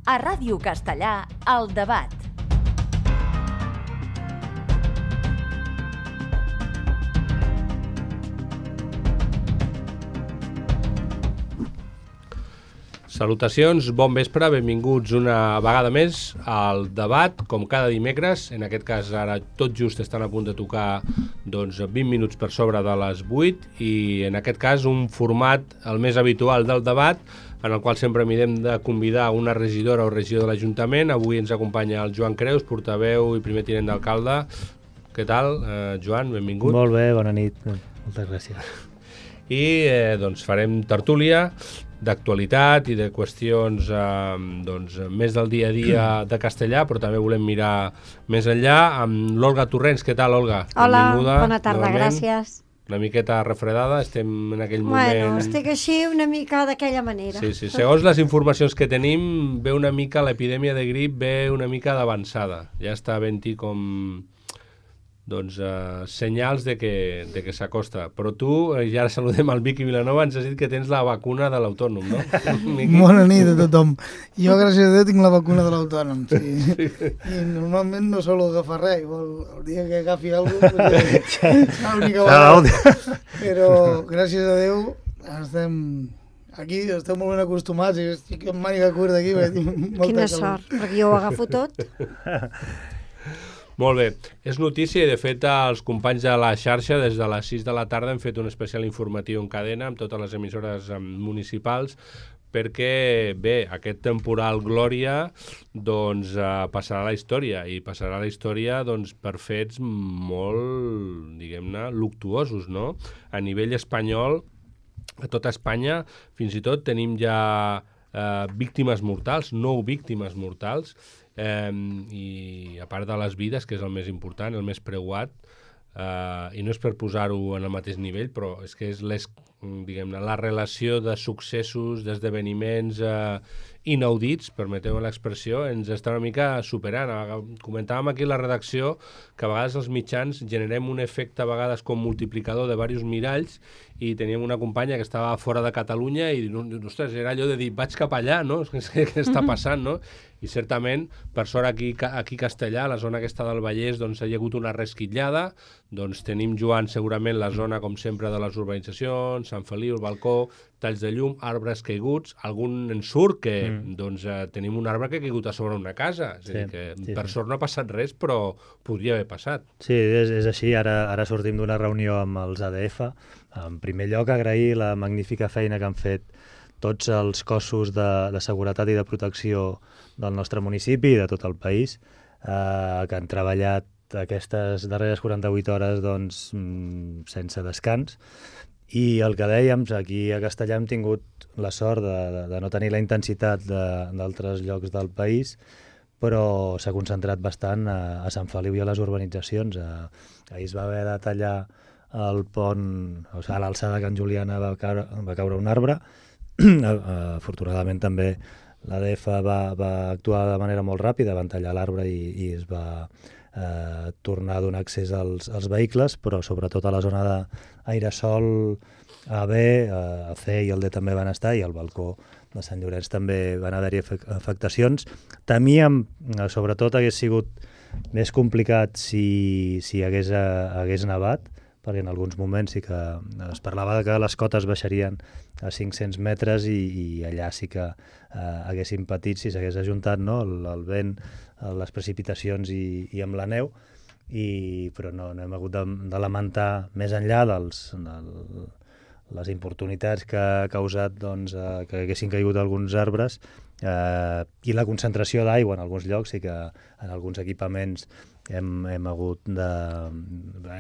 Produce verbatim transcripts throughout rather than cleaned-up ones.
A Ràdio Castellà, El Debat. Salutacions, bon vespre, benvinguts una vegada més al Debat, com cada dimecres. En aquest cas ara tot just estan a punt de tocar doncs, vint minuts per sobre de les vuit i en aquest cas un format el més habitual del Debat, en el qual sempre mirem de convidar una regidora o regidor de l'Ajuntament. Avui ens acompanya el Joan Creus, portaveu i primer tinent d'alcalde. Què tal, eh, Joan? Benvingut. Molt bé, bona nit. Moltes gràcies. I eh, doncs farem tertúlia d'actualitat i de qüestions eh, doncs, més del dia a dia de Castellà, però també volem mirar més enllà amb l'Olga Torrents. Què tal, Olga? Hola, benvinguda, bona tarda, novament. Gràcies. Una miqueta refredada, estem en aquell Bueno, moment... estic així una mica d'aquella manera. Sí, sí. Segons les informacions que tenim, ve una mica l'epidèmia de grip, ve una mica d'avançada. Ja està havent-hi com... doncs, uh, senyals de que, de que s'acosta. Però tu, eh, ja ara saludem al Miqui Vilanova, ens has dit que tens la vacuna de l'autònom, no? Bona nit a tothom. Jo, gràcies a Déu, tinc la vacuna de l'autònom. Sí. I normalment no solo agafar res. El dia que agafi alguna cosa, pues, és l'única vegada. Però, gràcies a Déu, estem aquí, estem molt ben acostumats i estic en màniga curta aquí. Quina sort, perquè jo ho agafo tot. Molt bé, és notícia i de fet els companys de la xarxa des de les sis de la tarda hem fet un especial informatiu en cadena amb totes les emissores municipals perquè, bé, aquest temporal Glòria doncs eh, passarà a la història i passarà a la història doncs, per fets molt, diguem-ne, luctuosos, no? A nivell espanyol, a tota Espanya, fins i tot tenim ja eh, víctimes mortals, nou víctimes mortals, Eh, i a part de les vides, que és el més important, el més preuat, eh, i no és per posar-ho en el mateix nivell, però és que és les, diguem-ne, la relació de successos, d'esdeveniments eh, inaudits, permeteu l'expressió, ens està una mica superant. Comentàvem aquí a la redacció que a vegades els mitjans generem un efecte a vegades com multiplicador de diversos miralls i teníem una companya que estava fora de Catalunya i, ostres, era allò de dir, vaig cap allà, no? Què està passant, no? I certament, per sort aquí, aquí a Castellà, a la zona aquesta del Vallès, doncs hi ha hagut una resquitllada, doncs tenim, Joan, segurament la zona, com sempre, de les urbanitzacions, Sant Feliu, el balcó, talls de llum, arbres caiguts, algun en surt que, mm. doncs, eh, tenim un arbre que ha caigut a sobre una casa, és sí, a dir, que sí, per sí. sort no ha passat res, però podria haver passat. Sí, és, és així, ara, ara sortim d'una reunió amb els A D F, en primer lloc agrair la magnífica feina que han fet tots els cossos de, de seguretat i de protecció del nostre municipi i de tot el país, eh, que han treballat aquestes darreres quaranta-vuit hores doncs, sense descans. I el que dèiem, aquí a Castellà hem tingut la sort de, de, de no tenir la intensitat d'altres llocs del país, però s'ha concentrat bastant a, a Sant Feliu i a les urbanitzacions. A, ahir es va haver de tallar el pont, o sigui, a l'alçada de Can Juliana va caure, va caure un arbre. Afortunadament també l'A D F va, va actuar de manera molt ràpida, van tallar l'arbre i, i es va eh, tornar a donar accés als, als vehicles, però sobretot a la zona d'Airesol, A B, a C i el D també van estar, i al balcó de Sant Llorenç també van haver-hi afectacions. Temíem, sobretot, hagués sigut més complicat si, si hagués, hagués nevat, perquè en alguns moments sí que es parlava de que les cotes baixarien a cinc-cents metres i, i allà sí que eh, haguessin patit si s'hagués ajuntat, no? el, el vent, les precipitacions i, i amb la neu, i, però no, no hem hagut de, de lamentar més enllà dels, del, les importunitats que ha causat doncs, eh, que haguessin caigut alguns arbres eh, i la concentració d'aigua en alguns llocs, sí que en alguns equipaments Hem, hem hagut de...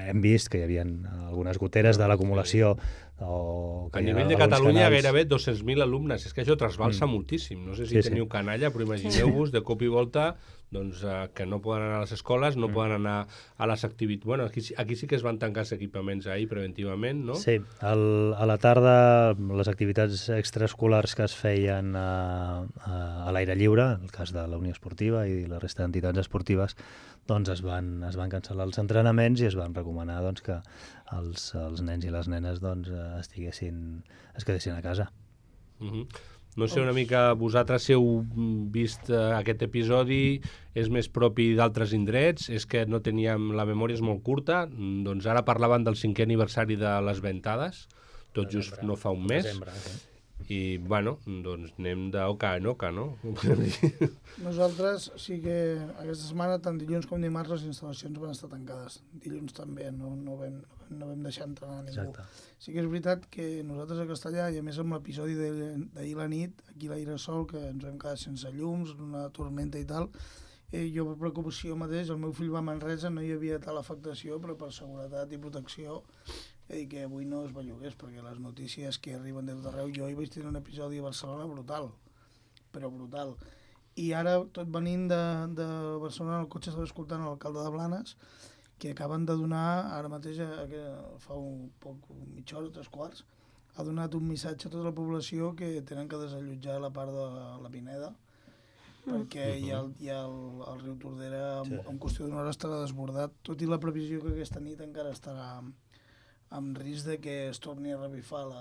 hem vist que hi havia algunes goteres de l'acumulació. O a nivell de Catalunya canals... gairebé dos-cents mil alumnes, és que això trasbalsa mm. moltíssim. No sé si sí, teniu sí. canalla, però imagineu-vos de cop i volta doncs, uh, que no poden anar a les escoles, no mm. poden anar a les activitats... Bueno, aquí, aquí sí que es van tancar els equipaments ahir preventivament, no? Sí, el, a la tarda les activitats extraescolars que es feien a, a, a l'aire lliure, en el cas de la Unió Esportiva i la resta d'entitats esportives, doncs es van, es van cancel·lar els entrenaments i es van recomanar doncs, que els, els nens i les nenes doncs, estiguessin, es quedessin a casa. Uh-huh. No sé, una mica vosaltres si heu vist uh, aquest episodi, és més propi d'altres indrets, és que no teníem, la memòria és molt curta, doncs ara parlaven del cinquè aniversari de les Ventades, tot just Desembre. no fa un mes, Desembre, sí. i bueno, doncs anem d'oca en oca, no? Nosaltres sí que aquesta setmana, tant dilluns com dimarts, les instal·lacions van estar tancades. Dilluns també, no, no, vam, no vam deixar entrar a ningú. Exacte. Sí que és veritat que nosaltres a Castellà, i a més amb l'episodi de- d'ahir la nit, aquí a l'Aire Sol, que ens vam quedar sense llums, una tormenta i tal, eh, jo per preocupació mateix, el meu fill va a Manresa, no hi havia tal afectació, però per seguretat i protecció he dit que avui no es bellugués, perquè les notícies que arriben de tot arreu, jo hi vaig tenir un episodi a Barcelona brutal, però brutal. I ara, tot venint de, de Barcelona, el cotxe estava escoltant l'alcalde de Blanes, que acaben de donar, ara mateix, a, que fa un poc, mitja hora, tres quarts, ha donat un missatge a tota la població que tenen que desallotjar la part de la Pineda, perquè Mhm. hi ha, el, hi ha el, el riu Tordera, en, Sí. en qüestió d'una hora estarà desbordat, tot i la previsió que aquesta nit encara estarà amb risc de que es torni a revifar la...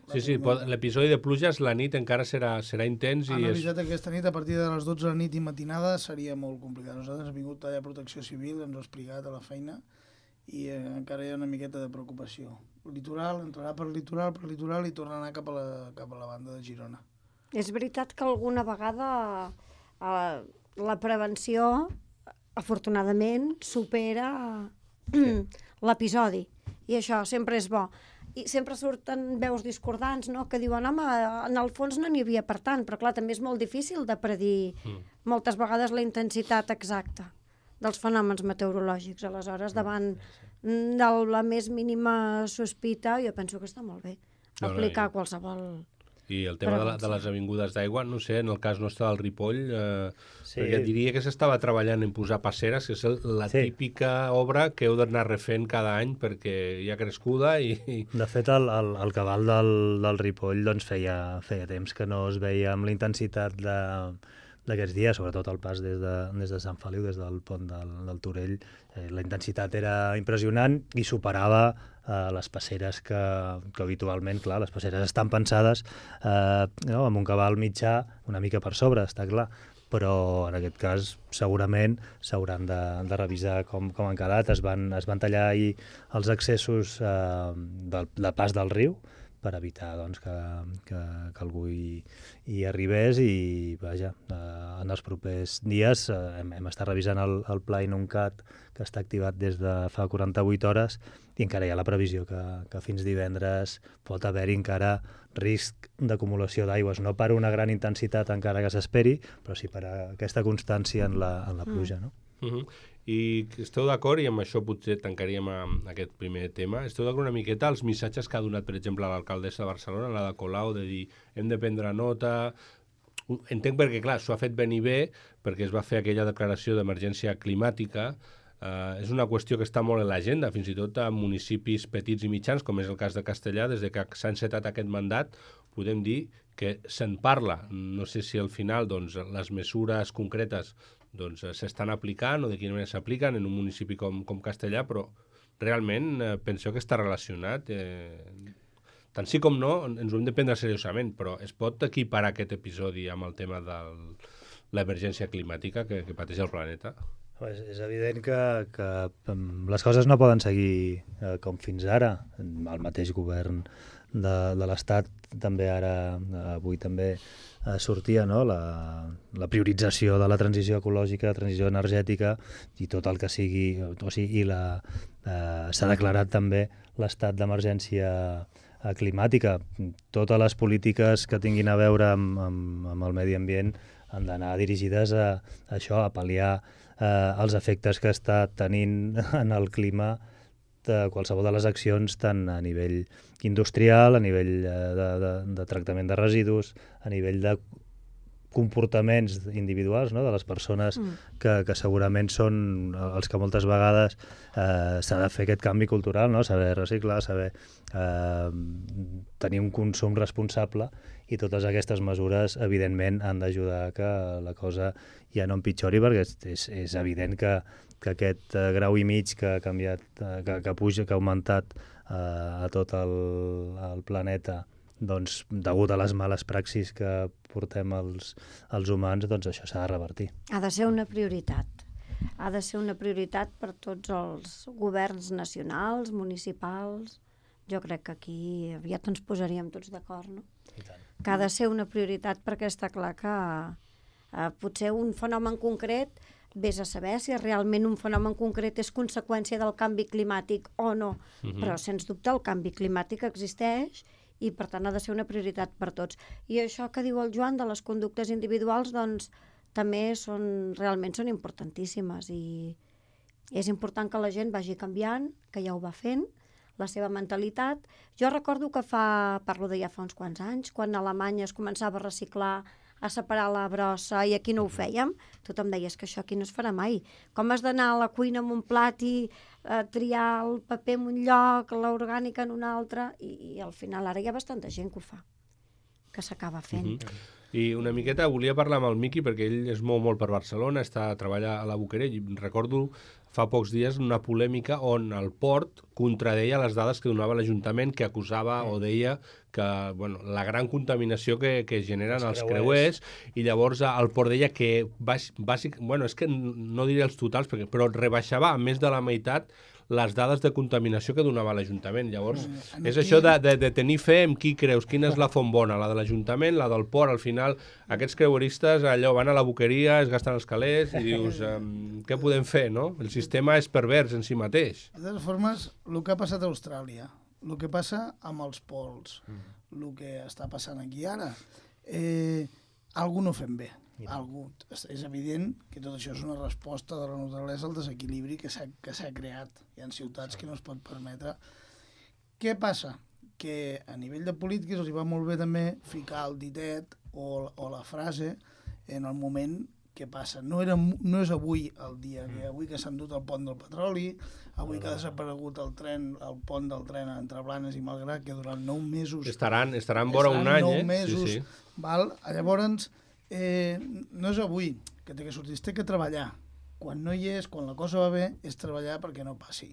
la Sí, sí, tormenta. l'episodi de pluges la nit encara serà, serà intens Han i és... avisat que aquesta nit, a partir de les dotze de la nit i matinada, seria molt complicat. Nosaltres hem vingut allà a Protecció Civil, ens ho ha explicat a la feina, i eh, encara hi ha una miqueta de preocupació. El litoral, entrarà per litoral, per litoral, i tornarà cap a la, cap a la banda de Girona. És veritat que alguna vegada eh, la prevenció, afortunadament, supera l'episodi. I això sempre és bo. I sempre surten veus discordants, no?, que diuen, home, en el fons no n'hi havia per tant, però clar, també és molt difícil de predir Mm. moltes vegades la intensitat exacta dels fenòmens meteorològics. Aleshores, davant de la més mínima sospita, jo penso que està molt bé No, no, aplicar i- qualsevol... I el tema de, la, de Prevenció. les avingudes d'aigua, no sé, en el cas nostre del Ripoll, eh, Sí. perquè diria que s'estava treballant en posar passeres, que és el, la Sí. típica obra que heu d'anar refent cada any perquè hi ha crescuda i... i De fet, el, el, el cabal del, del Ripoll doncs, feia, feia temps que no es veia amb la intensitat de d'aquests dies, sobretot el pas des de, des de Sant Feliu, des del pont del, del Torell. Eh, la intensitat era impressionant i superava eh, les passeres que, que habitualment, clar, les passeres estan pensades eh, no, amb un cabal mitjà una mica per sobre, està clar, però en aquest cas segurament s'hauran de, de revisar com, com han quedat. Es van, es van tallar ahir els accessos eh, del, del pas del riu per evitar doncs, que, que, que algú hi, hi arribés i vaja, eh, en els propers dies eh, hem, hem estat revisant el, el pla Inuncat que està activat des de fa quaranta-vuit hores i encara hi ha la previsió que, que fins divendres pot haver-hi encara risc d'acumulació d'aigües, no per una gran intensitat encara que s'esperi, però sí per aquesta constància en la, en la pluja, no? Uh -huh. I esteu d'acord, i amb això potser tancaríem amb aquest primer tema, esteu d'acord una miqueta els missatges que ha donat, per exemple, l'alcaldessa de Barcelona, la de Colau, de dir hem de prendre nota... Entenc perquè, clar, s'ho ha fet venir bé, perquè es va fer aquella declaració d'emergència climàtica. Uh, és una qüestió que està molt en l'agenda, fins i tot a municipis petits i mitjans, com és el cas de Castellà, des de que s'ha encetat aquest mandat, podem dir que se'n parla. No sé si al final doncs, les mesures concretes doncs, s'estan aplicant o de quina manera s'apliquen en un municipi com, com Castellà, però realment eh, penseu que està relacionat. Eh, tant sí com no, ens ho hem de prendre seriosament, però es pot equiparar aquest episodi amb el tema de l'emergència climàtica que, que pateix el planeta? És, és evident que, que les coses no poden seguir eh, com fins ara. El mateix govern de, de l'Estat també ara, avui també eh, sortia no? la, la priorització de la transició ecològica, la transició energètica i tot el que sigui, o sigui, i la, eh, s'ha declarat també l'estat d'emergència eh, climàtica. Totes les polítiques que tinguin a veure amb, amb, amb el medi ambient han d'anar dirigides a, a això, a pal·liar eh, els efectes que està tenint en el clima de qualsevol de les accions, tant a nivell industrial, a nivell eh, de, de, de tractament de residus, a nivell de comportaments individuals, no?, de les persones mm. que, que segurament són els que moltes vegades eh, s'ha de fer aquest canvi cultural, no?, saber reciclar, saber eh, tenir un consum responsable, i totes aquestes mesures evidentment han d'ajudar que la cosa ja no empitjori, perquè és, és, és evident que, que aquest eh, grau i mig que ha canviat, eh, que, que puja, que ha augmentat eh, a tot el, el planeta doncs, degut a les males praxis que portem els, els humans, doncs això s'ha de revertir. Ha de ser una prioritat. Ha de ser una prioritat per tots els governs nacionals, municipals. Jo crec que aquí aviat ens posaríem tots d'acord, no? I tant. Que ha de ser una prioritat perquè està clar que eh, potser un fenomen concret vés a saber si realment un fenomen concret és conseqüència del canvi climàtic o no, uh-huh. però sens dubte el canvi climàtic existeix i per tant ha de ser una prioritat per tots. I això que diu el Joan de les conductes individuals, doncs també són, realment són importantíssimes i és important que la gent vagi canviant, que ja ho va fent, la seva mentalitat. Jo recordo que fa, parlo de ja fa uns quants anys, quan a Alemanya es començava a reciclar, a separar la brossa i aquí no ho fèiem, tothom deia que això aquí no es farà mai. Com has d'anar a la cuina amb un plat i eh, triar el paper en un lloc, l'orgànica en un altre, i, i al final ara hi ha bastanta gent que ho fa, que s'acaba fent. Uh-huh. I una miqueta volia parlar amb el Miqui perquè ell es mou molt per Barcelona, està a treballar a la Boquerell i recordo fa pocs dies una polèmica on el port contradeia les dades que donava l'Ajuntament, que acusava o deia que bueno, la gran contaminació que, que generen els, els creuers, i llavors el port deia que bàsic, bueno, és que no diré els totals, perquè, però rebaixava a més de la meitat les dades de contaminació que donava l'Ajuntament. Llavors, mm, és aquí... això de, de, de tenir fe en qui creus, quina és la font bona, la de l'Ajuntament, la del port. Al final, aquests creueristes allò van a la boqueria, es gasten els calés i dius, um, què podem fer, no? El sistema és pervers en si mateix. De totes formes, el que ha passat a Austràlia, el que passa amb els pols, mm. el que està passant aquí ara, eh, algú no fem bé. Algú. És evident que tot això és una resposta de la naturalesa al desequilibri que s'ha que s'ha creat. Hi ha ciutats que no es pot permetre. Què passa? Que a nivell de polítiques els hi va molt bé també ficar el ditet o, o la frase en el moment que passa. No, era, no és avui el dia, que avui que s'han dut el pont del petroli, avui que ha desaparegut el tren, el pont del tren entre Blanes i Malgrat, que durant nou mesos... Estaran, estaran vora un any, nou eh? mesos, sí, sí. Val? Llavors, eh, no és avui que té que sortir, té que treballar. Quan no hi és, quan la cosa va bé, és treballar perquè no passi.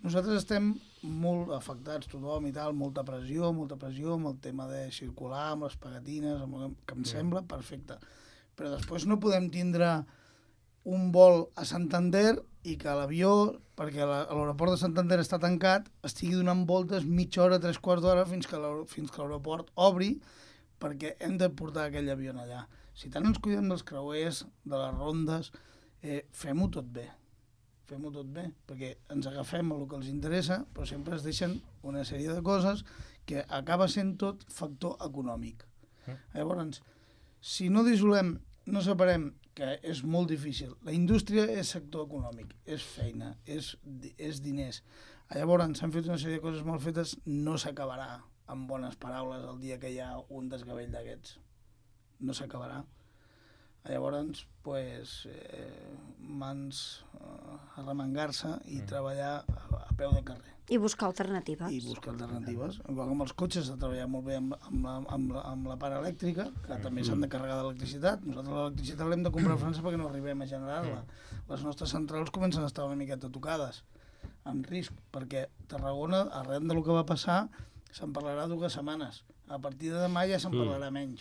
Nosaltres estem molt afectats, tothom i tal, molta pressió, molta pressió amb el tema de circular, amb les pegatines, amb el que em sembla perfecte. Però després no podem tindre un vol a Santander i que l'avió, perquè l'aeroport de Santander està tancat, estigui donant voltes mitja hora, tres quarts d'hora fins que l'aeroport obri, perquè hem de portar aquell avió allà. Si tant ens cuidem dels creuers, de les rondes, eh, fem-ho tot bé. Fem-ho tot bé, perquè ens agafem a el que els interessa, però sempre es deixen una sèrie de coses que acaba sent tot factor econòmic. Eh? Llavors, si no dissolem, no separem, que és molt difícil. La indústria és sector econòmic, és feina, és, és diners. Llavors, s'han fet una sèrie de coses mal fetes, no s'acabarà amb bones paraules el dia que hi ha un desgavell d'aquests. No s'acabarà. Llavors, pues, eh, mans eh, a remengar-se i mm. treballar a, a peu de carrer. I buscar alternatives. I buscar alternatives. Igual com els cotxes, de treballar molt bé amb, amb, la, amb, la, amb la part elèctrica, que també s'han de carregar d'electricitat. Nosaltres l'electricitat l'hem de comprar a França perquè no arribem a generar-la. Les nostres centrals comencen a estar una miqueta tocades, amb risc, perquè Tarragona, arran del que va passar, se'n parlarà dues setmanes. A partir de demà ja se'n parlarà menys.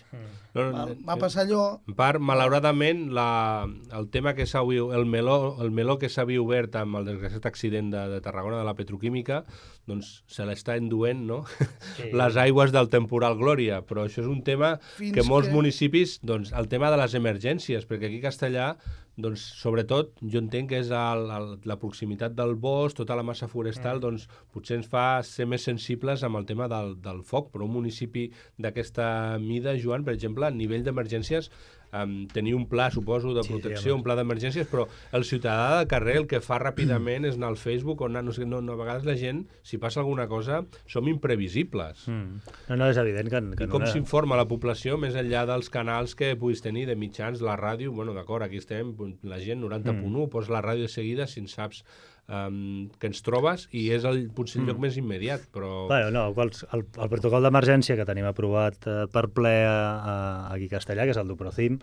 No, no, va, va passar allò... En part, malauradament, la, el tema que s'ha el meló, el meló que s'havia obert amb el desgraciat accident de, de Tarragona, de la petroquímica, doncs se l'està enduent, no? Sí. Les aigües del temporal Glòria. Però això és un tema Fins que molts que... municipis, doncs, el tema de les emergències, perquè aquí a Castellà, doncs, sobretot, jo entenc que és el, el, la proximitat del bosc, tota la massa forestal, mm. doncs, potser ens fa ser més sensibles amb el tema del, del foc, però un municipi d'aquesta mida, Joan, per exemple, a nivell d'emergències, um, tenir un pla, suposo, de protecció, sí, un pla d'emergències, però el ciutadà de carrer el que fa ràpidament és anar al Facebook o anar, no sé, no, no, a vegades la gent, si passa alguna cosa, som imprevisibles. Mm. No, no, és evident que... que I com no s'informa la població, més enllà dels canals que puguis tenir, de mitjans, la ràdio, bueno, d'acord, aquí estem, la gent noranta punt u, mm. posa la ràdio de seguida si en saps um, que ens trobes i és el, potser el lloc mm. més immediat, però... Bueno, no, quals, el, el protocol d'emergència que tenim aprovat eh, per ple a, a aquí a Castellà, que és el Duprocim.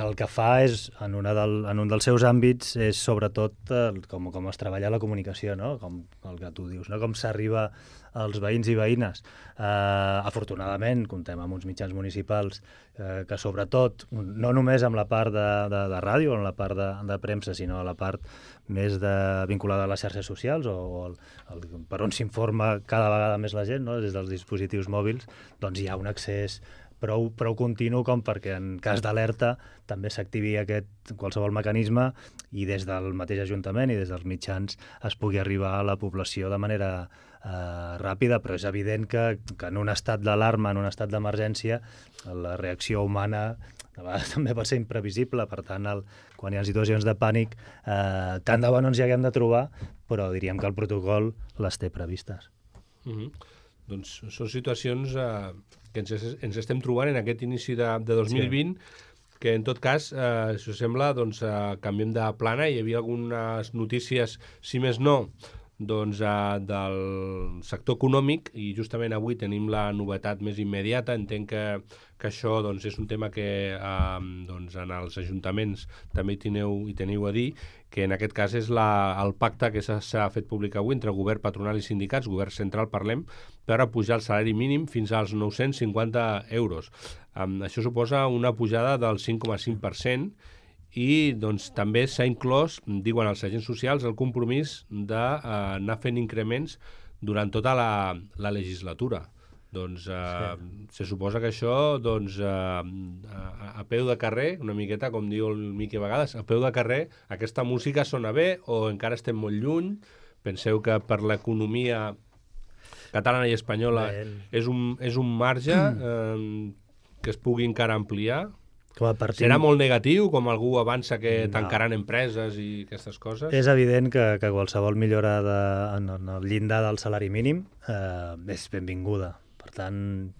El que fa és, en, una del, en un dels seus àmbits, és sobretot el, com, com es treballa la comunicació, no? Com el que tu dius, no? Com s'arriba als veïns i veïnes. Uh, afortunadament, comptem amb uns mitjans municipals uh, que sobretot, no només amb la part de, de, de ràdio, en la part de, de premsa, sinó a la part més de, vinculada a les xarxes socials o, o el, el, per on s'informa cada vegada més la gent, no? Des dels dispositius mòbils, doncs hi ha un accés prou, prou continu com perquè en cas d'alerta també s'activi aquest qualsevol mecanisme i des del mateix Ajuntament i des dels mitjans es pugui arribar a la població de manera eh, ràpida, però és evident que, que en un estat d'alarma, en un estat d'emergència, la reacció humana a vegades també pot ser imprevisible, per tant, el, quan hi ha situacions de pànic, eh, tant de bo no ens hi haguem de trobar, però diríem que el protocol les té previstes. Mm-hmm. Doncs són situacions eh, que ens, ens estem trobant en aquest inici de, de dos mil vint, sí. Que en tot cas, eh, si us sembla, doncs, eh, canviem de plana. Hi havia algunes notícies, si més no, doncs, eh, del sector econòmic, i justament avui tenim la novetat més immediata. Entenc que, que això doncs, és un tema que eh, doncs, en els ajuntaments també hi teniu, hi teniu a dir, que en aquest cas és la, el pacte que s'ha fet públic avui entre govern, patronal i sindicats, govern central parlem, per a pujar el salari mínim fins als nou-cents cinquanta euros. Um, això suposa una pujada del cinc coma cinc per cent i doncs, també s'ha inclòs, diuen els agents socials, el compromís d'anar uh, fent increments durant tota la, la legislatura. Doncs eh, sí. Se suposa que això doncs, eh, a, a peu de carrer, una miqueta, com diu el Miqui a vegades, a peu de carrer, aquesta música sona bé o encara estem molt lluny? Penseu que per l'economia catalana i espanyola és un, és un marge eh, que es pugui encara ampliar? Partim... Serà molt negatiu, com algú avança que no. Tancaran empreses i aquestes coses? És evident que, que qualsevol millora de, en, en el llindar del salari mínim eh, és benvinguda. Per tant,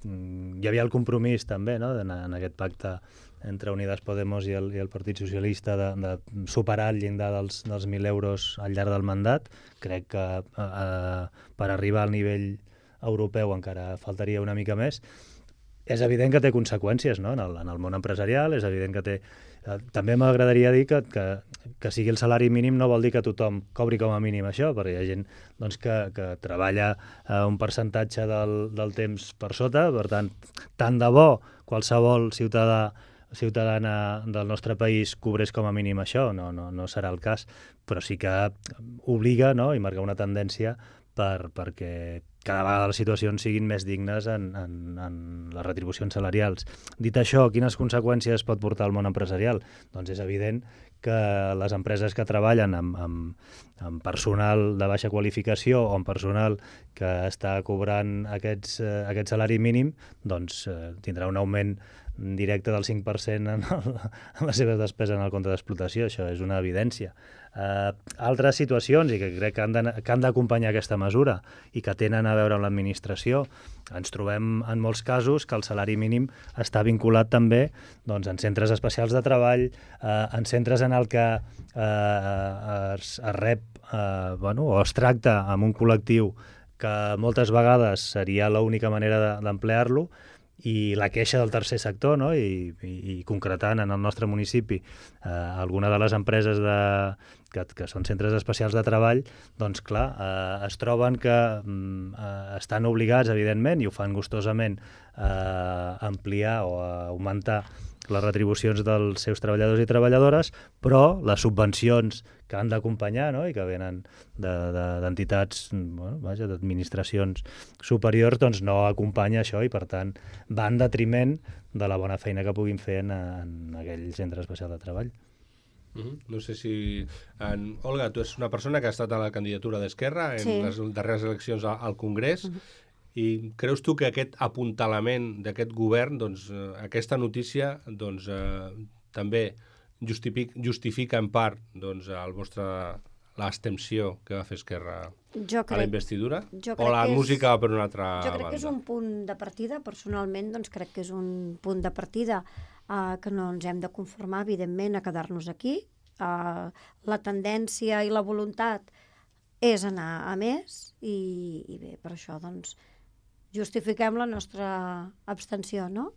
hi havia el compromís també, no?, en, en aquest pacte entre Unidas Podemos i el, i el Partit Socialista de, de superar el llindar dels, dels mil euros al llarg del mandat. Crec que eh, per arribar al nivell europeu encara faltaria una mica més. És evident que té conseqüències, no?, en el, en el món empresarial, és evident que té... Eh, també m'agradaria dir que, que, que sigui el salari mínim no vol dir que tothom cobri com a mínim això, perquè hi ha gent doncs, que, que treballa eh, un percentatge del, del temps per sota, per tant, tant de bo qualsevol ciutadà ciutadana del nostre país cobrés com a mínim això, no, no, no serà el cas, però sí que obliga, no?, i marca una tendència per, perquè cada vegada les situacions siguin més dignes en, en, en les retribucions salarials. Dit això, quines conseqüències pot portar el món empresarial? Doncs és evident que les empreses que treballen amb, amb, amb personal de baixa qualificació o amb personal que està cobrant aquests, eh, aquest salari mínim, doncs eh, tindrà un augment directe del cinc per cent en, el, en les seves despeses en el compte d'explotació. Això és una evidència. Uh, altres situacions, i que crec que han d'acompanyar aquesta mesura i que tenen a veure amb l'administració, ens trobem en molts casos que el salari mínim està vinculat també doncs, en centres especials de treball, uh, en centres en el que uh, es, es rep uh, bueno, o es tracta amb un col·lectiu que moltes vegades seria l'única manera d'emplear-lo, i la queixa del tercer sector, no? I, i, i concretant en el nostre municipi eh, alguna de les empreses de, que, que són centres especials de treball, doncs clar, eh, es troben que eh, estan obligats, evidentment, i ho fan gustosament, a eh, ampliar o a augmentar les retribucions dels seus treballadors i treballadores, però les subvencions que han d'acompanyar, no?, i que venen d'entitats, de, de, bueno, vaja, d'administracions superiors, doncs no acompanya això i, per tant, va en detriment de la bona feina que puguin fer en, en aquell centre especial de treball. Uh-huh. No sé si... En... Olga, tu ets una persona que ha estat a la candidatura d'Esquerra en sí. les darreres eleccions al Congrés. Uh-huh. I creus tu que aquest apuntalament d'aquest govern, doncs, eh, aquesta notícia, doncs, eh, també justifica, justifica en part doncs, el vostre l'abstenció que va fer Esquerra jo crec, a la investidura? O la música és, per una altra banda? Jo crec banda? que és un punt de partida. Personalment, doncs, crec que és un punt de partida eh, que no ens hem de conformar, evidentment, a quedar-nos aquí. Eh, la tendència i la voluntat és anar a més i, i bé, per això, doncs, justifiquem la nostra abstenció, no?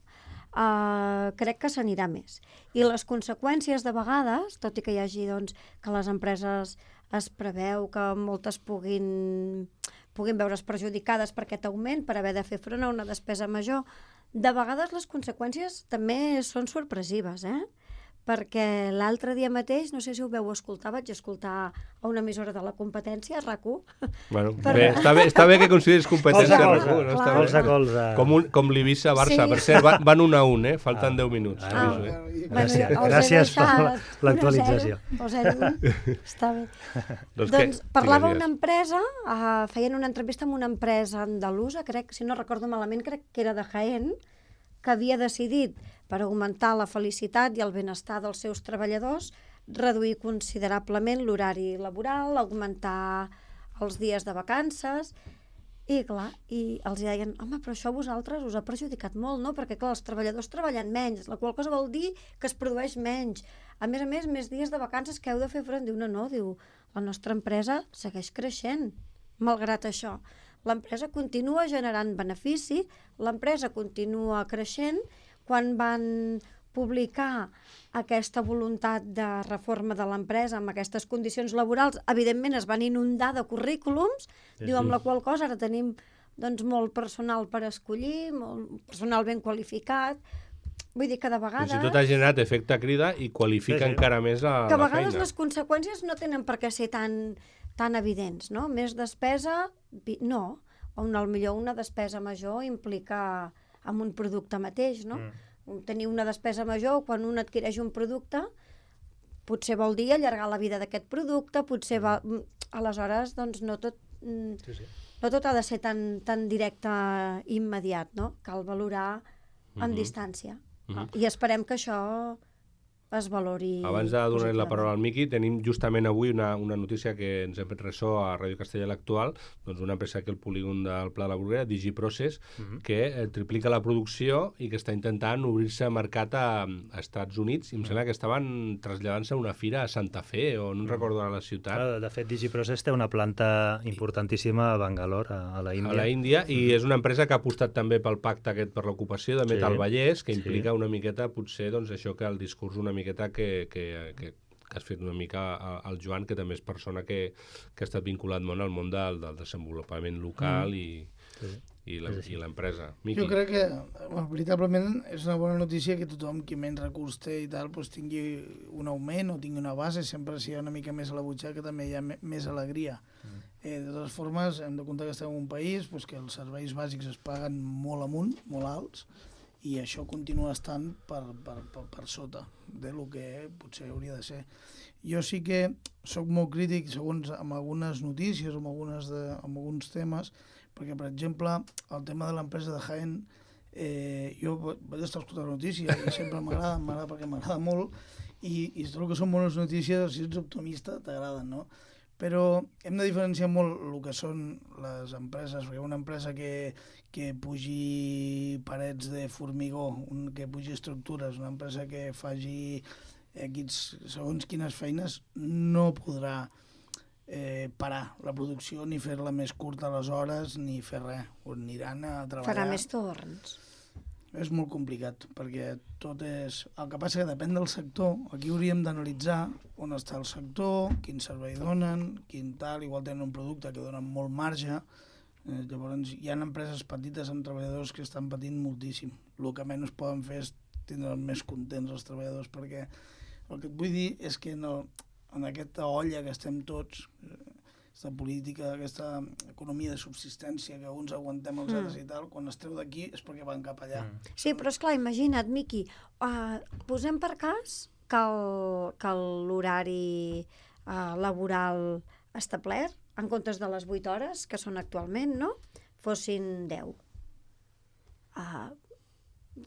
uh, crec que s'anirà més. I les conseqüències de vegades, tot i que hi hagi doncs, que les empreses es preveu que moltes puguin, puguin veure's perjudicades per aquest augment, per haver de fer front a una despesa major, de vegades les conseqüències també són sorpresives, eh? Perquè l'altre dia mateix, no sé si ho veu escoltar, vaig escoltar a una emissora de la competència, RAC u. Bueno, per... bé, està, bé, està bé que consideris competència RAC u. No? Està colze, colze. Com, un, com l'Eivissa-Barça. Sí. Per cert, van, van un a un, eh? Falten ah. deu minuts. Ah. Ah. Eh? Gràcies, bueno, gràcies per l'actualització. O zero, està bé. doncs doncs parlava una empresa, uh, feien una entrevista amb una empresa andalusa, crec, si no recordo malament, crec que era de Jaén, que havia decidit, per augmentar la felicitat i el benestar dels seus treballadors, reduir considerablement l'horari laboral, augmentar els dies de vacances, i clar, i els deien, home, però això a vosaltres us ha perjudicat molt, no? Perquè clar, els treballadors treballen menys, la qual cosa vol dir que es produeix menys. A més a més, més dies de vacances que heu de fer front. Diu, no, no, diu, la nostra empresa segueix creixent, malgrat això. L'empresa continua generant benefici, l'empresa continua creixent. Quan van publicar aquesta voluntat de reforma de l'empresa amb aquestes condicions laborals, evidentment es van inundar de currículums, sí, diu, amb la qual cosa ara tenim doncs, molt personal per escollir, molt personal ben qualificat. Vull dir que de vegades... Fins i tot ha generat efecte crida i qualifica sí, sí. encara més la, que a la vegades feina. Les conseqüències no tenen per què ser tan, tan evidents, no? Més despesa, no. O una, millor una despesa major implica amb un producte mateix, no? Mm. Tenir una despesa major quan un adquireix un producte potser vol dir allargar la vida d'aquest producte, potser va... Aleshores, doncs, no tot, sí, sí. no tot ha de ser tan, tan directe i immediat, no? Cal valorar amb mm-hmm. distància. Mm-hmm. I esperem que això es valori. Abans de donar la paraula al Miqui, tenim justament avui una, una notícia que ens hem fet ressò a Ràdio Castellà l'Actual, doncs una empresa que el polígon del Pla de la Bruguera, DigiProcess, uh-huh. que eh, triplica la producció i que està intentant obrir-se a mercat a, a Estats Units, i em uh-huh. sembla que estaven traslladant-se a una fira a Santa Fe, o no uh-huh. recordo ara la ciutat. De fet, DigiProcess té una planta importantíssima a Bangalore, a, a la Índia. A la Índia, uh-huh. i és una empresa que ha apostat també pel pacte aquest per l'ocupació de Metal sí. Vallès, que implica sí. una miqueta, potser, doncs, això que el discurs una miqueta que, que, que, que has fet una mica al Joan, que també és persona que, que ha estat vinculat molt al món del, del desenvolupament local mm. i, sí. i, la, i l'empresa. Jo crec que, bueno, veritablement, és una bona notícia que tothom qui menys recurs té i tal, doncs tingui un augment o tingui una base, sempre si hi ha una mica més a la butxaca també hi ha més alegria. Mm. Eh, de totes formes, hem de comptar que estem en un país doncs, que els serveis bàsics es paguen molt amunt, molt alts, i això continua estant per, per, per, per sota de lo que potser hauria de ser. Jo sí que sóc molt crític segons amb algunes notícies, amb, algunes de, amb alguns temes, perquè, per exemple, el tema de l'empresa de Jaén, eh, jo vaig estar escoltant la notícia i sempre m'agrada, m'agrada perquè m'agrada molt, i, i trobo que són bones notícies, si ets optimista t'agraden, no? Però hem de diferenciar molt el que són les empreses, perquè una empresa que, que pugi parets de formigó, un, que pugi estructures, una empresa que faci equips, segons quines feines, no podrà eh, parar la producció ni fer-la més curta a les hores ni fer res, o aniran a treballar. Farà més torns. És molt complicat, perquè tot és... El que passa que depèn del sector. Aquí hauríem d'analitzar on està el sector, quin servei donen, quin tal, igual tenen un producte que donen molt marge. Eh, llavors, hi ha empreses petites amb treballadors que estan patint moltíssim. El que menys poden fer és tindre més contents els treballadors, perquè el que et vull dir és que no, en aquesta olla que estem tots... aquesta política, aquesta economia de subsistència que uns aguantem els altres mm. i tal, quan es treu d'aquí és perquè van cap allà. Mm. Sí, però esclar, imagina't, Miqui, uh, posem per cas que, el, que l'horari uh, laboral establert, en comptes de les vuit hores, que són actualment, no?, fossin deu. Uh,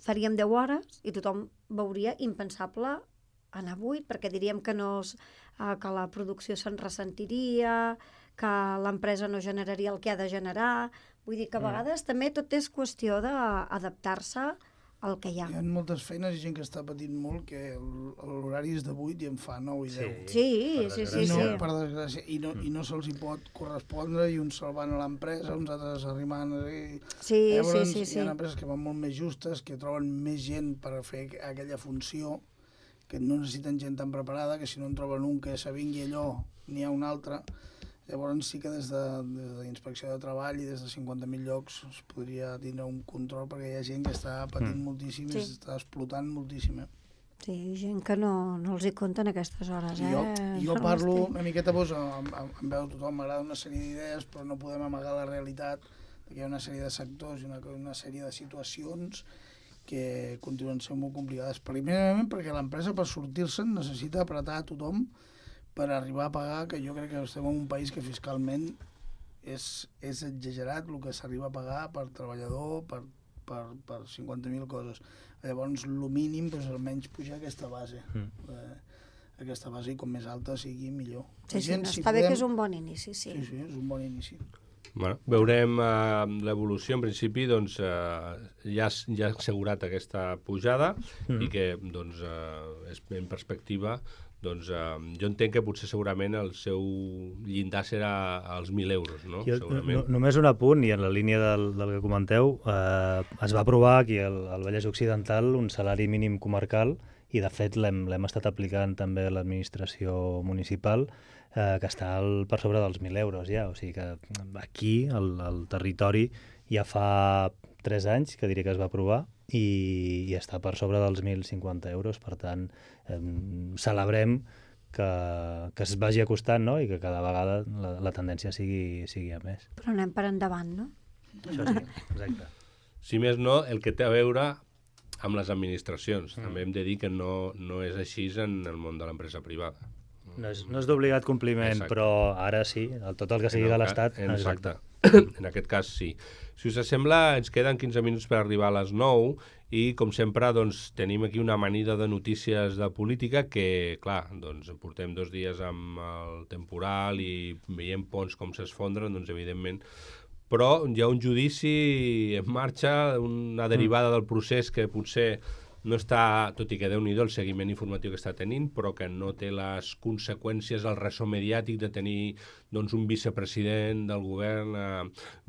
faríem deu hores i tothom veuria impensable anar a vuit, perquè diríem que, no, uh, que la producció se'n ressentiria, que l'empresa no generaria el que ha de generar. Vull dir que a vegades mm. també tot és qüestió d'adaptar-se el que hi ha. Hi ha moltes feines i gent que està patint molt, que l'horari és de vuit i en fa nou i deu. Sí, sí, sí. I no, sí. per desgràcia, i no, i no se'ls hi pot correspondre, i uns se'l van a l'empresa, uns altres arribant... I... Sí, Llavors, sí, sí, sí. hi ha empreses que van molt més justes, que troben més gent per fer aquella funció, que no necessiten gent tan preparada, que si no en troben un que s'avingui allò, n'hi ha un altre. Llavors sí que des de, des de l'Inspecció de Treball i des de cinquanta mil llocs es podria tindre un control, perquè hi ha gent que està patint mm. moltíssim sí. i s'està explotant moltíssim. Eh? Sí, gent que no, no els hi compten aquestes hores. Eh? Jo, jo parlo una miqueta, doncs, em, em veu tothom, m'agrada una sèrie d'idees, però no podem amagar la realitat, perquè hi ha una sèrie de sectors i una, una sèrie de situacions que continuen sent molt complicades. Primerament perquè l'empresa, per sortir-se'n, necessita apretar a tothom per arribar a pagar, que jo crec que estem en un país que fiscalment és, és exagerat el que s'arriba a pagar per treballador, per, per, per cinquanta mil coses. Llavors, el mínim, doncs, almenys pujar aquesta base. Mm. Eh, aquesta base, i com més alta sigui, millor. Sí, sí, no, si està podem... bé que és un bon inici, sí. Sí, sí, és un bon inici. Bueno, veurem eh, l'evolució. En principi, doncs, eh, ja, ja ha assegurat aquesta pujada mm. i que, doncs, eh, és en perspectiva, doncs eh, jo entenc que potser segurament el seu llindar serà als mil euros, no? Jo, segurament. No, només un apunt, i en la línia del, del que comenteu, eh, es va aprovar aquí al, al Vallès Occidental un salari mínim comarcal, i de fet l'hem estat aplicant també a l'administració municipal, eh, que està al, per sobre dels mil euros ja. O sigui que aquí, al, al territori, ja fa tres anys que diré que es va aprovar, i, i està per sobre dels mil cinquanta euros. Per tant, eh, celebrem que, que es vagi acostant, no? I que cada vegada la, la tendència sigui, sigui a més. Però anem per endavant, no? Això sí, exacte. Si més no, el que té a veure amb les administracions. Mm. També hem de dir que no, no és així en el món de l'empresa privada. No és, no és d'obligat compliment, exacte. Però ara sí, el, tot el que sigui de l'Estat... Exacte. exacte. En aquest cas sí. Si us sembla, ens queden quinze minuts per arribar a les nou i, com sempre, doncs, tenim aquí una amanida de notícies de política que, clar, doncs, portem dos dies amb el temporal i veiem ponts com s'esfondren, doncs, evidentment, però hi ha un judici en marxa, una derivada del procés que potser no està, tot i que Déu-n'hi-do el seguiment informatiu que està tenint, però que no té les conseqüències, el ressò mediàtic de tenir, doncs, un vicepresident del govern eh,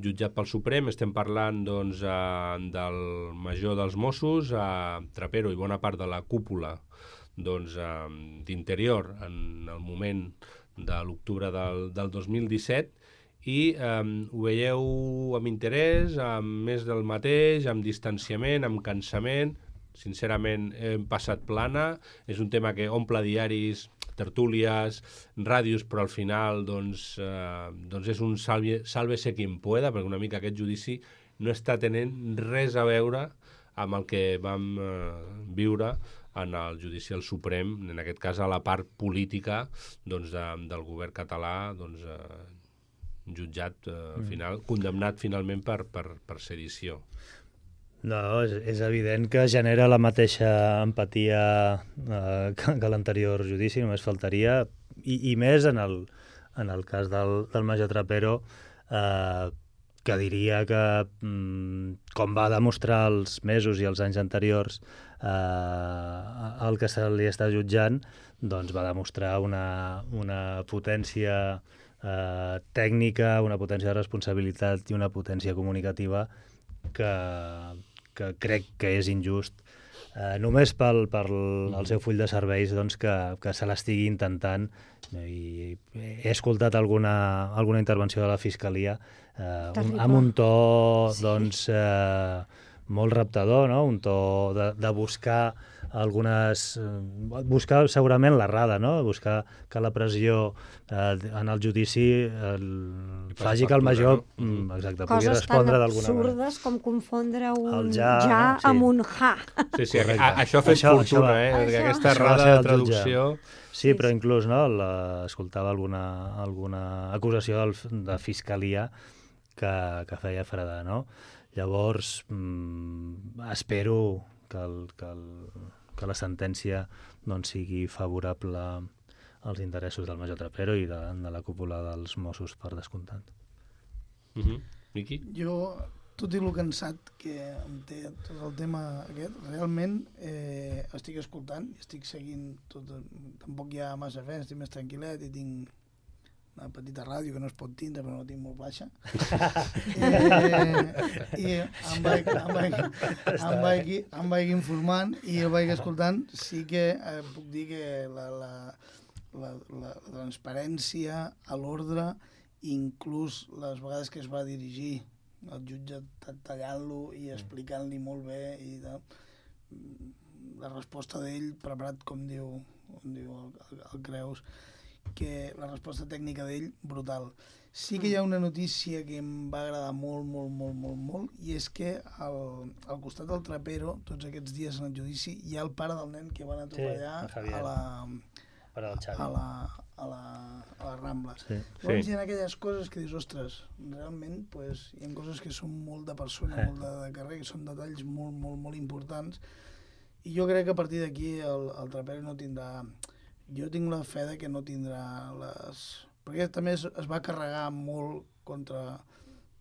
jutjat pel Suprem. Estem parlant, doncs, eh, del major dels Mossos, eh, Trapero, i bona part de la cúpula, doncs, eh, d'Interior en el moment de l'octubre del, del dos mil disset, i eh, ho veieu amb interès, amb més del mateix, amb distanciament, amb cansament. Sincerament, hem passat plana. És un tema que omple diaris, tertúlies, ràdios, però al final doncs, eh, doncs és un salve, sálvese quien pueda, perquè una mica aquest judici no està tenint res a veure amb el que vam eh, viure en el judici al Suprem, en aquest cas a la part política, doncs, de, del govern català, doncs, eh, jutjat, eh, al final, condemnat finalment per, per, per sedició. No, és, és evident que genera la mateixa empatia eh, que, que l'anterior judici, només faltaria, i, i més en el, en el cas del, del major Trapero, eh, que diria que, mm, com va demostrar els mesos i els anys anteriors eh, el que se li està jutjant, doncs va demostrar una, una potència eh, tècnica, una potència de responsabilitat i una potència comunicativa que, que crec que és injust, eh, només pel, pel el seu full de serveis, doncs, que, que se l'estigui intentant. I he escoltat alguna, alguna intervenció de la Fiscalia eh, un, amb un to doncs, eh, molt reptador, no? Un to de, de buscar algunes... buscar segurament l'errada, no? Buscar que la pressió eh, en el judici el, faci que el major no? exacte, pugui respondre d'alguna manera. Coses tan absurdes com confondre un ja, ja no? sí. amb un ja. Sí, sí, a, això ha fet això, fortuna, això, eh? Això. Aquesta errada de traducció... Sí, però inclús no, la, escoltava alguna, alguna acusació del, de Fiscalia que, que feia fredar, no? Llavors, mmm, espero que, el, que, el, que la sentència doncs, sigui favorable als interessos del major Trapero i de, de la cúpula dels Mossos, per descomptat. Uh-huh. Miqui? Jo tot i el cansat que em té tot el tema aquest, realment eh, estic escoltant, estic seguint tot, tampoc hi ha massa fe, estic més tranquil·let i tinc una petita ràdio que no es pot tindre però no la tinc molt baixa eh, i em vaig, em, vaig, em, vaig, em vaig informant i el vaig escoltant. Sí que eh, puc dir que la, la, la, la transparència a l'ordre, inclús les vegades que es va dirigir el jutge tallant-lo i explicant-li molt bé i de, la resposta d'ell preparat com diu, com diu el, el, el Creus, que la resposta tècnica d'ell brutal. Sí que hi ha una notícia que em va agradar molt, molt, molt, molt, molt, i és que al, al costat del Trapero, tots aquests dies en el judici, hi ha el pare del nen que van atropellar sí, a la... a la, a la, a la Rambla. Sí. Llavors sí. Hi ha aquelles coses que dius, ostres, realment pues, hi ha coses que són molt de persona, eh. molt de, de carrer, que són detalls molt, molt, molt importants, i jo crec que a partir d'aquí el, el Trapero no tindrà... Jo tinc la fe de que no tindrà les... Perquè també es, es va carregar molt contra,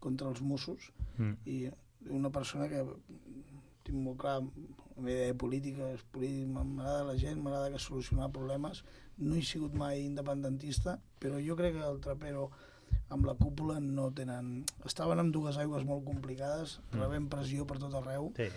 contra els Mossos, mm. i una persona que tinc molt clar, la meva idea política, és polític, m'agrada la gent, m'agrada que solucionar problemes, no he sigut mai independentista, però jo crec que el Trapero amb la cúpula no tenen... Estaven amb dues aigües molt complicades, mm. rebent pressió per tot arreu. Sí.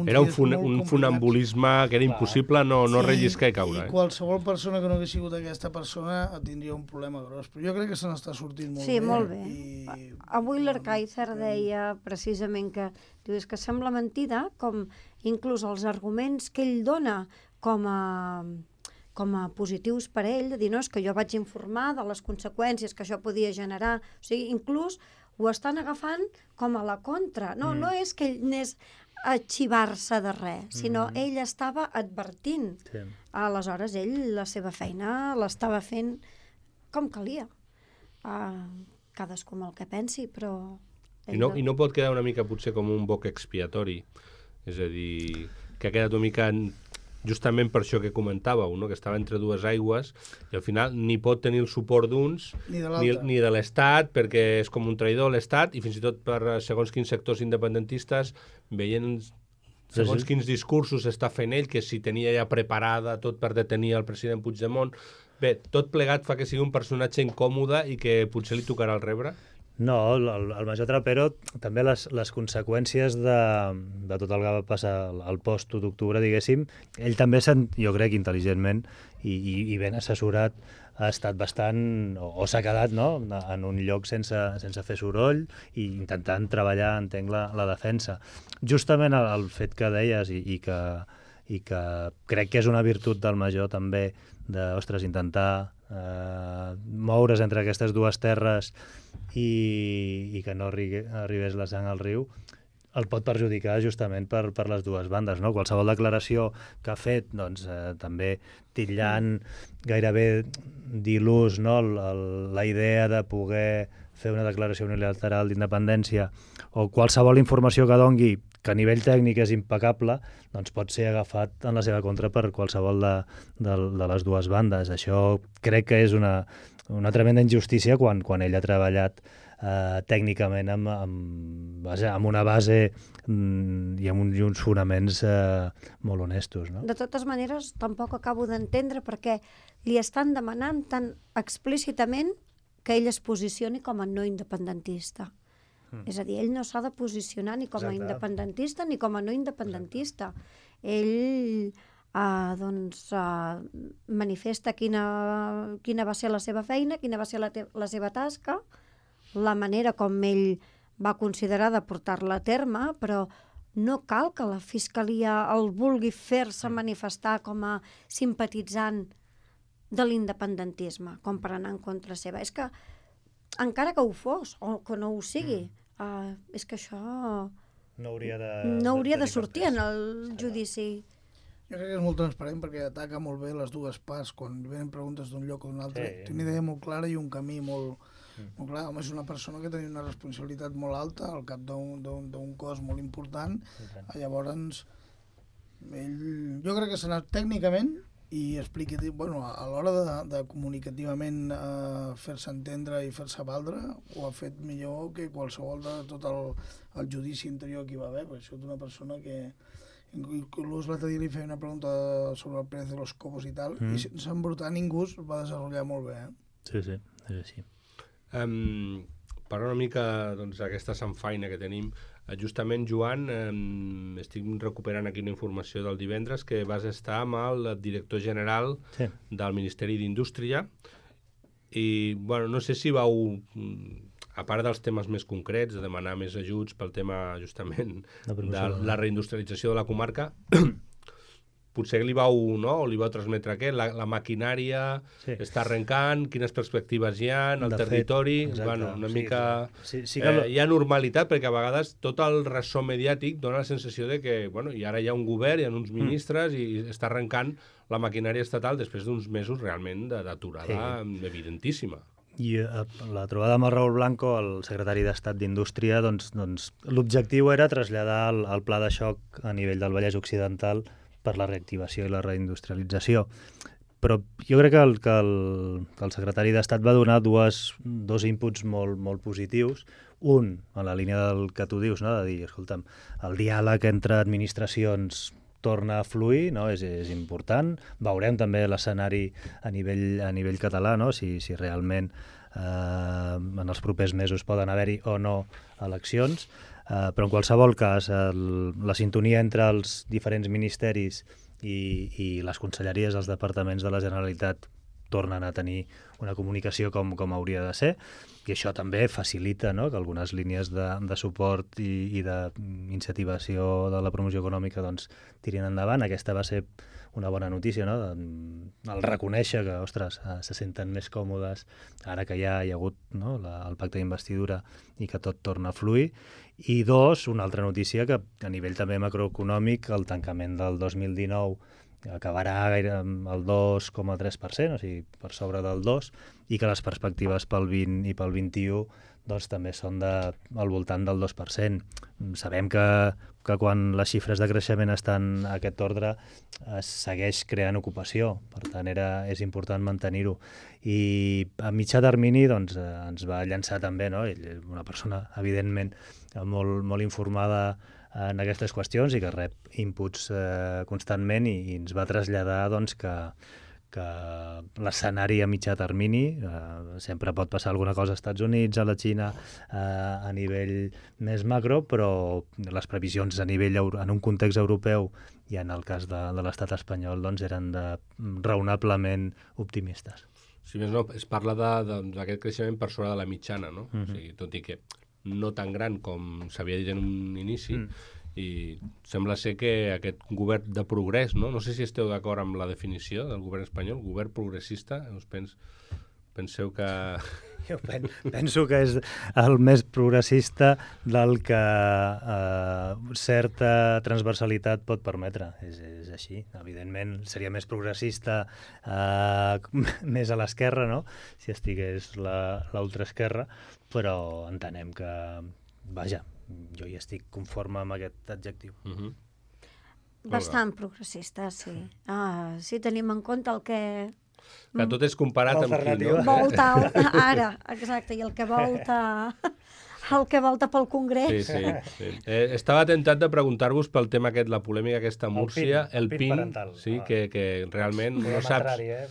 Era un, fun un funambulisme que era impossible no, no sí, relliscar i caure. I qualsevol persona que no hagués sigut aquesta persona tindria un problema gros. Però jo crec que se n'està sortint molt sí, bé. Sí, molt bé. I... Avui l'Arcaizer deia precisament que, diu, és que sembla mentida com inclús els arguments que ell dona com a... com a positius per a ell, de dir, no, és que jo vaig informar de les conseqüències que això podia generar. O sigui, inclús ho estan agafant com a la contra. No, mm. no és que ell anés a xivar-se de res, sinó mm. ell estava advertint. Sí. Aleshores, ell la seva feina l'estava fent com calia. Uh, cadascú amb el que pensi, però... I no, I no pot quedar una mica potser com un boc expiatori. És a dir, que ha quedat una mica... justament per això que comentàveu, no? Que estava entre dues aigües i al final ni pot tenir el suport d'uns ni de, ni, ni de l'Estat, perquè és com un traïdor l'Estat, i fins i tot per segons quins sectors independentistes veient segons quins discursos està fent ell, que si tenia ja preparada tot per detenir el president Puigdemont. Bé, tot plegat fa que sigui un personatge incòmode i que potser li tocarà el rebre. No, el, el major Trapero, també les, les conseqüències de, de tot el que va passar al post u d'octubre, diguéssim, ell també, jo crec, intel·ligentment i, i, i ben assessorat, ha estat bastant, o, o s'ha quedat, no?, en un lloc sense, sense fer soroll i intentant treballar, entenc, la, la defensa. Justament el, el fet que deies i, i, que, i que crec que és una virtut del major també, de, ostres, intentar eh, moure's entre aquestes dues terres i, i que no arri arribés la sang al riu, el pot perjudicar justament per, per les dues bandes, no? Qualsevol declaració que ha fet, doncs, eh, també titllant gairebé d'il·lús, no?, el, el, la idea de poder fer una declaració unilateral d'independència o qualsevol informació que dongui que a nivell tècnic és impecable, doncs pot ser agafat en la seva contra per qualsevol de, de, de les dues bandes. Això crec que és una, una tremenda injustícia quan, quan ell ha treballat eh, tècnicament amb, amb, base, amb una base mm, i amb un, i uns fonaments eh, molt honestos. No? De totes maneres, tampoc acabo d'entendre perquè li estan demanant tan explícitament que ell es posicioni com a no independentista. Mm. És a dir, ell no s'ha de posicionar ni com a Exacte. independentista ni com a no independentista. Exacte. Ell eh, doncs, eh, manifesta quina, quina va ser la seva feina, quina va ser la, la seva tasca, la manera com ell va considerar de portar-la a terme, però no cal que la Fiscalia el vulgui fer-se manifestar com a simpatitzant de l'independentisme, com per anar en contra seva. És que encara que ho fos, o que no ho sigui, mm. uh, és que això no hauria de, no hauria de, de sortir en el judici. Jo crec que és molt transparent perquè ataca molt bé les dues parts quan venen preguntes d'un lloc o d'un altre. Sí. Té una idea molt clara i un camí molt, mm. molt clar. Home, és una persona que tenia una responsabilitat molt alta al cap d'un cos molt important. Sí. Llavors, ell, jo crec que serà tècnicament i expliqui, bueno, a l'hora de, de comunicativament eh, fer-se entendre i fer-se valdre, ho ha fet millor que qualsevol de tot el, el judici interior que hi va haver, perquè això és una persona que inclús l'altre dia li feia una pregunta sobre el Pérez de los Cobos i tal, mm. i sense embrutar ningú es va desenvolupar molt bé. Eh? Sí, sí, és així. Um, parlant una mica doncs, d'aquesta sanfaina que tenim, justament, Joan, eh, estic recuperant aquí una informació del divendres que vas estar amb el director general sí. del Ministeri d'Indústria i, bueno, no sé si vau, a part dels temes més concrets, de demanar més ajuts pel tema, justament, de la reindustrialització de la comarca, potser li vau, no? li vau transmetre què? La, la maquinària sí. està arrencant, quines perspectives hi ha, el de territori, fet, bueno, una sí, mica... Sí, sí que... eh, hi ha normalitat, perquè a vegades tot el ressò mediàtic dona la sensació de que, bueno, i ara hi ha un govern, hi ha uns ministres, mm. i està arrencant la maquinària estatal després d'uns mesos realment d'aturada sí. evidentíssima. I eh, la trobada amb el Raúl Blanco, el secretari d'Estat d'Indústria, doncs, doncs, l'objectiu era traslladar el, el pla de xoc a nivell del Vallès Occidental per la reactivació i la reindustrialització. Però jo crec que el, que el, que el secretari d'Estat va donar dues, dos inputs molt, molt positius. Un, en la línia del que tu dius, no? De dir, escolta'm, el diàleg entre administracions torna a fluir, no? és, és important. Veurem també l'escenari a nivell, a nivell català, no? si, si realment eh, en els propers mesos poden haver-hi o no eleccions. Uh, però en qualsevol cas, el, la sintonia entre els diferents ministeris i, i les conselleries, els departaments de la Generalitat tornen a tenir una comunicació com, com hauria de ser, i això també facilita, no?, que algunes línies de, de suport i, i d'incentivació de la promoció econòmica doncs, tirin endavant. Aquesta va ser una bona notícia, no?, el reconèixer que, ostres, se senten més còmodes ara que ja hi ha hagut, no?, la, el pacte d'investidura i que tot torna a fluir. I dos, una altra notícia que a nivell també macroeconòmic, el tancament del dos mil dinou acabarà gaire amb el dos coma tres per cent, o sigui, per sobre del dos, i que les perspectives pel vint i pel vint-i-u doncs, també són de, al voltant del dos per cent. Sabem que, que quan les xifres de creixement estan a aquest ordre es segueix creant ocupació, per tant era, és important mantenir-ho. I a mitjà termini doncs, ens va llançar també, no? Ell, una persona evidentment molt, molt informada en aquestes qüestions i que rep inputs eh, constantment i, i ens va traslladar doncs, que, que l'escenari a mitjà termini, eh, sempre pot passar alguna cosa als Estats Units, a la Xina, eh, a nivell més macro, però les previsions a nivell en un context europeu i en el cas de, de l'estat espanyol doncs, eren de, raonablement optimistes. Si més no, es parla d'aquest creixement per sobre de la mitjana, no? Mm-hmm. O sigui, tot i que no tan gran com s'havia dit en un inici, mm. i sembla ser que aquest govern de progrés, no? No sé si esteu d'acord amb la definició del govern espanyol, govern progressista, us pens, penseu que... Jo pen, penso que és el més progressista del que eh, certa transversalitat pot permetre. És, és així. Evidentment seria més progressista eh, més a l'esquerra, no?, si estigués l'ultraesquerra, però entenem que, vaja, jo hi estic conforme amb aquest adjectiu. Uh-huh. Bastant progressista, sí. Ah, si tenim en compte el que... Que tot és comparat amb qui, no? Volta, ara, exacte, i el que volta... el que volta pel Congrés. Sí, sí. sí. Eh, estava tentat de preguntar-vos pel tema aquest, la polèmica aquesta a Múrcia, el PIN, el PIN, parental. Sí, ah. que, que realment no saps... Eh?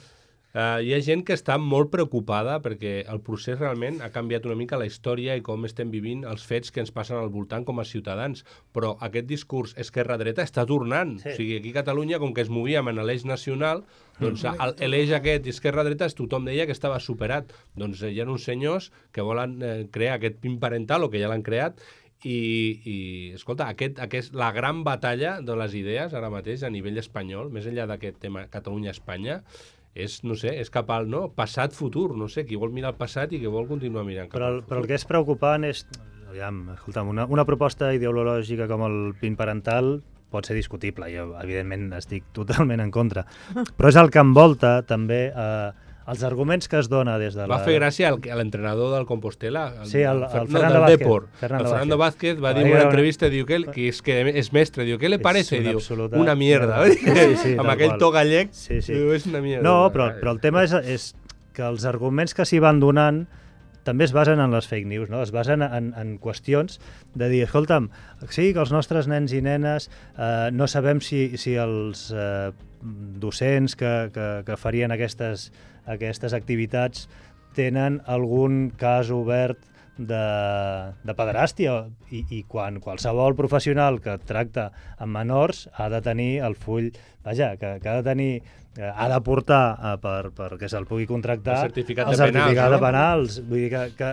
Uh, hi ha gent que està molt preocupada perquè el procés realment ha canviat una mica la història i com estem vivint els fets que ens passen al voltant com a ciutadans, però aquest discurs esquerra-dreta està tornant. Sí. O sigui, aquí a Catalunya, com que es movíem en l'eix nacional, doncs l'eix aquest esquerra-dreta tothom deia que estava superat. Doncs hi ha uns senyors que volen eh, crear aquest PIN parental, o que ja l'han creat, i, i escolta, aquest, aquest, la gran batalla de les idees ara mateix a nivell espanyol, més enllà d'aquest tema Catalunya-Espanya, és, no sé, és cap al, no? Passat-futur, no sé, qui vol mirar el passat i qui vol continuar mirant cap però, al futur. Però el que és preocupant és, aviam, escolta'm, una, una proposta ideològica com el PIN parental pot ser discutible, jo evidentment estic totalment en contra, però és el que envolta també eh, els arguments que es dona des de la... Va fer gràcia al- a l'entrenador del Compostela, el, Sí, el- el Fer- no, Fernando del Vázquez. Depor. Fernando el Fernando Vázquez va Va dir en dir una una- entrevista, diu que, ell, que és, que és mestre, diu, què li És parece? una Diu, absoluta una mierda. merda. Sí, sí, Amb tal aquell qual. to gallec, Sí, sí. diu, és una mierda. No, però, però el tema és, és que els arguments que s'hi van donant també es basen en les fake news, no? Es basen en, en qüestions de dir, escolta'm, sí, que els nostres nens i nenes eh, no sabem si, si els eh, docents que, que, que farien aquestes, aquestes activitats tenen algun cas obert de, de pederàstia i, i quan qualsevol professional que tracta amb menors ha de tenir el full, vaja, que, que ha de tenir eh, ha de portar eh, per, perquè se'l pugui contractar El certificat el de penals, certificat de no? penals, vull dir que, que,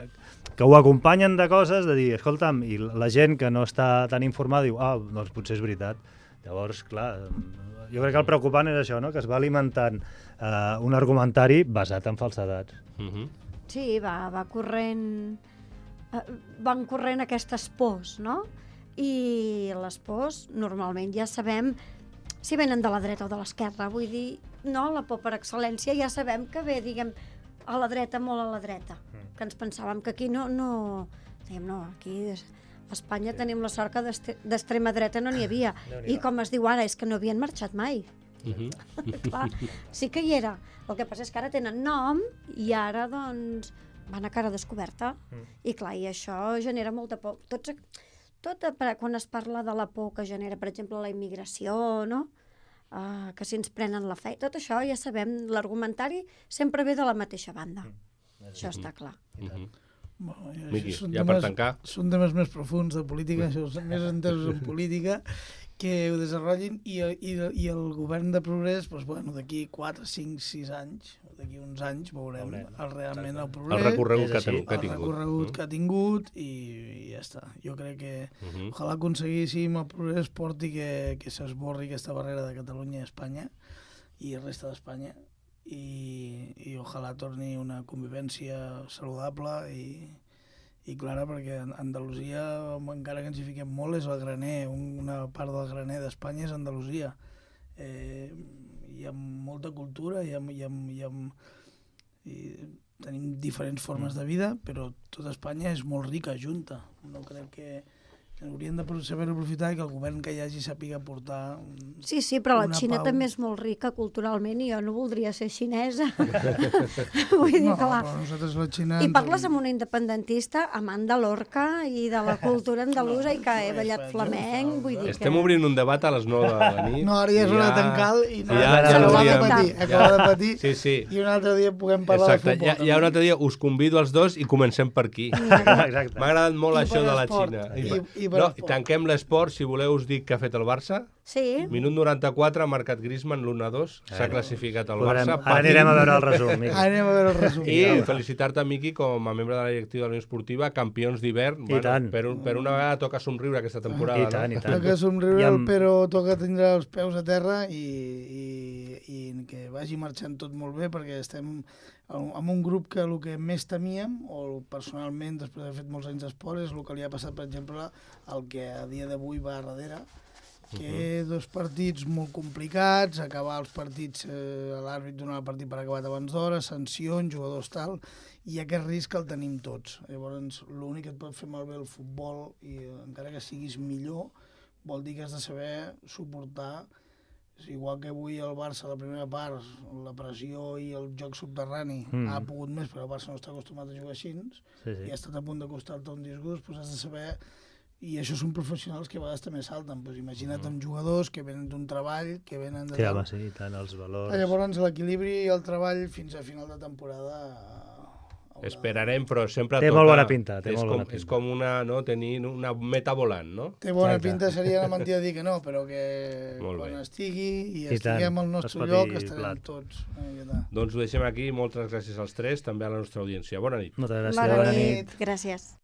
que ho acompanyen de coses, de dir, escolta'm, i la gent que no està tan informada diu, ah, doncs potser és veritat. Llavors, clar, jo crec que el preocupant és això, no? Que es va alimentant eh, un argumentari basat en falsedats. Uh -huh. Sí, va, va corrent... eh, van corrent aquestes pors, no? I les pors, normalment ja sabem si venen de la dreta o de l'esquerra. Vull dir, no, la por per excel·lència ja sabem que ve, diguem, a la dreta, molt a la dreta. Que ens pensàvem que aquí no... no diguem, no, aquí a Espanya sí. tenim la sort que d'extrema dreta no n'hi havia. I com es diu ara, és que no havien marxat mai. Uh -huh. Clar, sí que hi era. El que passa és que ara tenen nom i ara, doncs, van a cara descoberta. Mm. I clar, i això genera molta por. Tots, tot, quan es parla de la por que genera, per exemple, la immigració, no? Uh, que si ens prenen la fe, tot això ja sabem, l'argumentari sempre ve de la mateixa banda. Mm. Això està clar. Uh -huh. Bueno, Miqui, són ja temes, per tancar. Són temes més profuns de política, això són més entesos en política, que ho desenvolupin i, i, i el govern de progrés, doncs, bueno, d'aquí quatre, cinc, sis anys, d'aquí uns anys veurem, veurem. El, realment el progrés, el recorregut que, així, ten, que ha el tingut. recorregut Mm. que ha tingut i, i ja està. Jo crec que Uh -huh. ojalà aconseguíssim el progrés porti que, que s'esborri aquesta barrera de Catalunya i Espanya i el resta d'Espanya i, i ojalà torni una convivència saludable i, i clara, perquè Andalusia, encara que ens hi fiquem molt, és el graner, una part del graner d'Espanya és Andalusia. Eh, hi ha molta cultura, hi ha, hi ha, hi ha, i tenim diferents formes de vida, però tota Espanya és molt rica junta. No crec que haurien de saber aprofitar i que el govern que hi hagi sàpiga portar un, Sí, sí, però la una Xina pau. també és molt rica culturalment i jo no voldria ser xinesa. Vull dir, No, clar. però nosaltres la Xina... I ens- parles amb una independentista amant de l'Orca i de la cultura andalusa i que he no, ballat no, flamenc, vull dir Estem que... obrint un debat a les nou de la nit. No, ara ja és hora de tancar i no, ja, ja, ja ja acaba de hauríem- patir, acaba de patir, Sí, sí. i un altre dia puguem parlar Exacte, de futbol. ja, ja un altre dia us convido als dos i comencem per aquí. Exacte. M'ha agradat molt I això per de la esport, Xina. i- i per no, esport. tanquem l'esport, si voleu us dic què ha fet el Barça. Sí, Minut noranta-quatre, ha marcat Griezmann l'u a dos, s'ha classificat el Veurem, Barça. ara anirem a veure el resum, Miqui. Ara anem a veure el resum. I felicitar-te, Miqui, com a membre de la directiva de la Unió Esportiva, campions d'hivern. I tant. Per, un, per una vegada toca somriure aquesta temporada. I tant, no? i tant. Toca somriure, I amb- però toca tindre els peus a terra i, i, i que vagi marxant tot molt bé, perquè estem amb un grup que el que més temíem, o personalment, després d'haver fet molts anys d'esport, és el que li ha passat, per exemple, el que a dia d'avui va a darrere, que uh -huh. dos partits molt complicats, acabar els partits, eh, l'àrbit donar el partit per acabat abans d'hora, sancions, jugadors tal, i aquest risc el tenim tots. Llavors, l'únic que et pot fer malbé el futbol, i encara que siguis millor, vol dir que has de saber suportar, igual que avui el Barça, la primera part, la pressió i el joc subterrani Mm. ha pogut més, però el Barça no està acostumat a jugar així, Sí, sí. i ha estat a punt de costar-te un disgust, doncs has de saber. I això són professionals que a vegades també salten. Pues imagina't amb jugadors que venen d'un treball, que venen de... Sí, home, sí, i tant, els valors... Llavors l'equilibri i el treball fins a final de temporada... haurà- Esperarem, però sempre Té toca... molt bona pinta, té és molt com, bona pinta. És com una, no, tenir una meta volant, no? Té bona Exacte. pinta, seria una mentida dir que no, però que Molt quan bé. estigui i, I tant, estiguem al es nostre pot lloc dir estarem plat. tots. Eh, ja està. Doncs ho deixem aquí. Moltes gràcies als tres, també a la nostra audiència. Bona nit. Moltes gràcies, bona bona nit. nit. Gràcies.